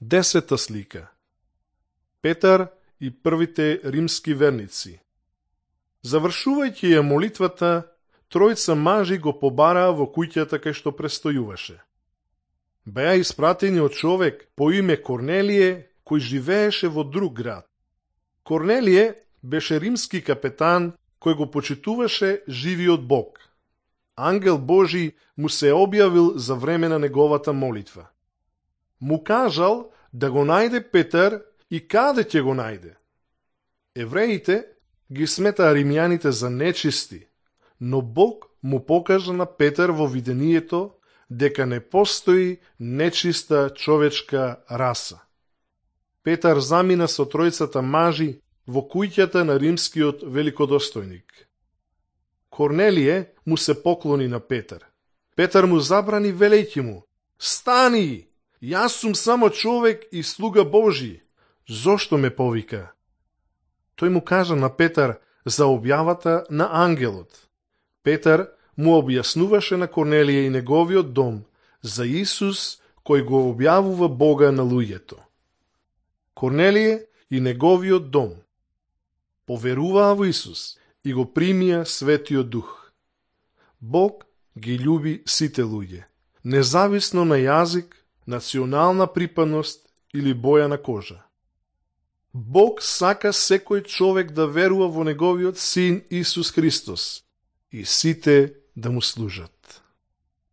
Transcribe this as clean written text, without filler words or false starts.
10-та слика. Петар и првите римски верници. Завршувајќи ја молитвата, тројца мажи го побараа во куќата кај што престојуваше. Беа испратени од човек по име Корнелие, кој живееше во друг град. Корнелие беше римски капетан кој го почитуваше живиот Бог. Ангел Божи му се објавил за време на неговата молитва. Му кажал да го најде Петар и каде ќе го најде. Евреите ги сметаа римјаните за нечисти, но Бог му покажа на Петар во видението дека не постои нечиста човечка раса. Петар замина со тројцата мажи во куќата на римскиот великодостојник. Корнелие му се поклони на Петар. Петар му забрани велејќи му: "Стани! Јас сум само човек и слуга Божи. Зошто ме повика?" Тој му кажа на Петар за објавата на ангелот. Петар му објаснуваше на Корнелие и неговиот дом за Исус кој го објавува Бога на луѓето. Корнелие и неговиот дом поверуваа во Исус и го примија Светиот Дух. Бог ги љуби сите луѓе, независно на јазик, национална припадност или боја на кожа. Бог сака секој човек да верува во неговиот Син Исус Христос и сите да му служат.